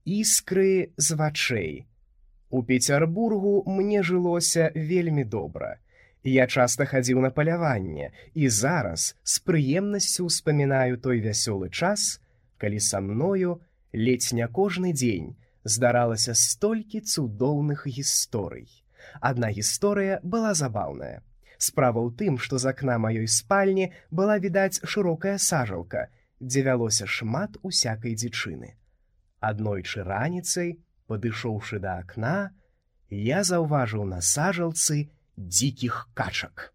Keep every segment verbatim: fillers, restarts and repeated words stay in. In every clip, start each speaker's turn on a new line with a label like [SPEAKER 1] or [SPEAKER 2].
[SPEAKER 1] Іскры з вачэй. У Пецярбургу мне жылося вельмі добра. Я часта хадзіў на паляванне і зараз з прыемнасцю ўспамінаю той вясёлы час, калі са мною ледзь не кожны дзень здаралася столькі цудоўных гісторый. Адна гісторыя была забаўная. Справа ў тым, што з акна маёй спальні была відаць шырокая сажалка, дзе вялося шмат усякай дзічыны. Аднойчы раніцай, падышоўшы да акна, я заўважыў на сажалцы дзікіх качак.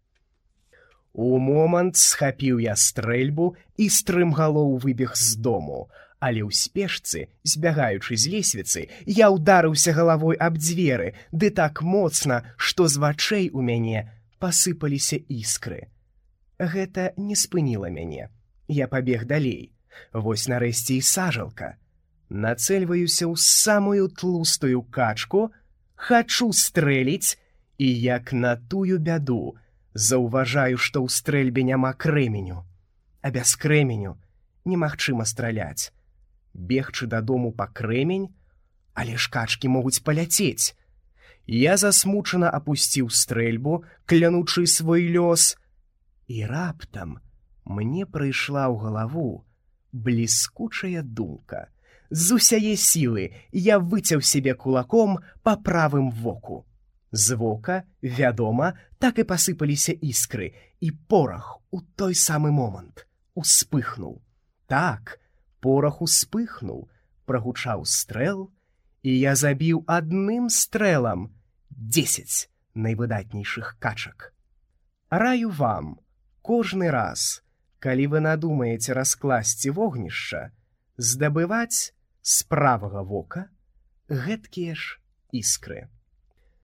[SPEAKER 1] У момант схапіў я стрэльбу і стрымгалоў выбег з дому, але ў спешцы, збягаючы з лесвіцы, я ўдарыўся галавой аб дзверы, ды так моцна, што з вачэй у мяне пасыпаліся іскры. Гэта не спыніла мяне. Я пабег далей. Вось нарэшце і сажалка. Нацэльваюся ў самую тлустую качку, хачу стрэліць, і як на тую бяду заўважаю, што ў стрэльбе няма крэменю. А без крэменю немагчыма страляць. Бегчы дадому па крэмень, але ж качкі могуць паляцець. Я засмучана апусціў стрэльбу, клянучы свой лёс, і раптам мне прыйшла ў галаву бліскучая думка. З усяе сілы я выцяў сябе кулаком па правым воку. З вока, вядома, так і пасыпаліся іскры, і порах у той самы момант успыхнуў. Так, порах успыхнуў, прагучаў стрэл, і я забіў адным стрэлам дзесяць найвыдатнейшых качак. Раю вам, кожны раз, калі вы надумаеце раскласці вогнішча, здабываць з правага вока гэткія ж іскры.